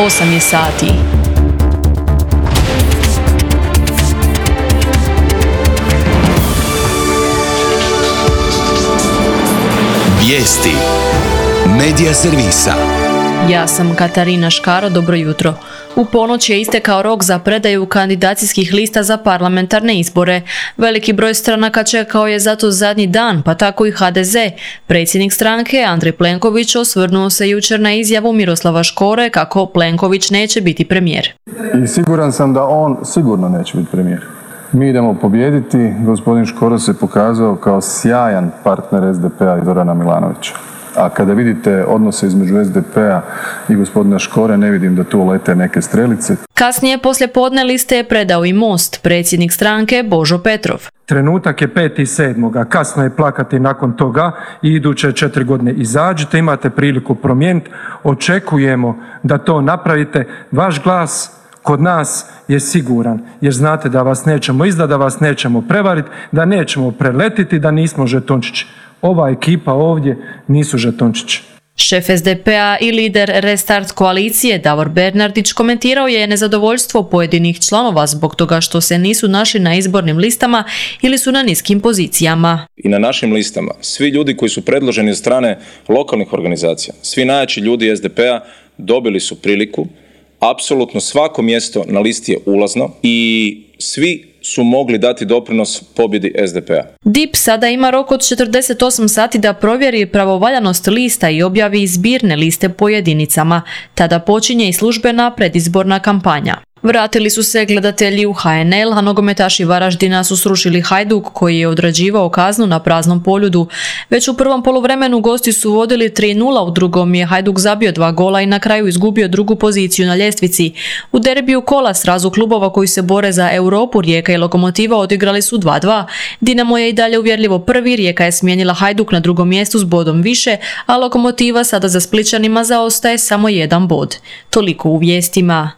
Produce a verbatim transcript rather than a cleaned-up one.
osam je sati. Vijesti Medija servisa. Ja sam Katarina Škaro, dobro jutro. U ponoć je istekao rok za predaju kandidacijskih lista za parlamentarne izbore. Veliki broj stranaka čekao je zato zadnji dan, pa tako i ha de ze. Predsjednik stranke Andrej Plenković osvrnuo se jučer na izjavu Miroslava Škore kako Plenković neće biti premijer. I siguran sam da on sigurno neće biti premijer. Mi idemo pobijediti, gospodin Škoro se pokazao kao sjajan partner es de pe a i Zorana Milanovića. A kada vidite odnose između es de pe a i gospodina Škore, ne vidim da tu lete neke strelice. Kasnije poslije podne liste je predao i Most, predsjednik stranke Božo Petrov. Trenutak je peti sedmog, a kasno je plakati nakon toga i iduće četiri godine izađite, imate priliku promijeniti. Očekujemo da to napravite. Vaš glas kod nas je siguran, jer znate da vas nećemo izdati, da vas nećemo prevariti, da nećemo preletiti, da nismo žetončići. Ova ekipa ovdje nisu žetončići. Šef es de pe a i lider Restart koalicije Davor Bernardić komentirao je nezadovoljstvo pojedinih članova zbog toga što se nisu našli na izbornim listama ili su na niskim pozicijama. I na našim listama svi ljudi koji su predloženi od strane lokalnih organizacija, svi najjači ljudi es de pe a dobili su priliku. Apsolutno svako mjesto na listi je ulazno i svi su mogli dati doprinos pobjedi es de pe a. D I P sada ima rok od četrdeset osam sati da provjeri pravovaljanost lista i objavi zbirne liste po jedinicama. Tada počinje i službena predizborna kampanja. Vratili su se gledatelji u ha en el, a nogometaši Varaždina su srušili Hajduk koji je odrađivao kaznu na praznom Poljudu. Već u prvom poluvremenu gosti su vodili tri nula, u drugom je Hajduk zabio dva gola i na kraju izgubio drugu poziciju na ljestvici. U derbiju kola srazu klubova koji se bore za Europu, Rijeka i Lokomotiva odigrali su dva dva. Dinamo je i dalje uvjerljivo prvi, Rijeka je smijenila Hajduk na drugom mjestu s bodom više, a Lokomotiva sada za Splićanima zaostaje samo jedan bod. Toliko u vijestima.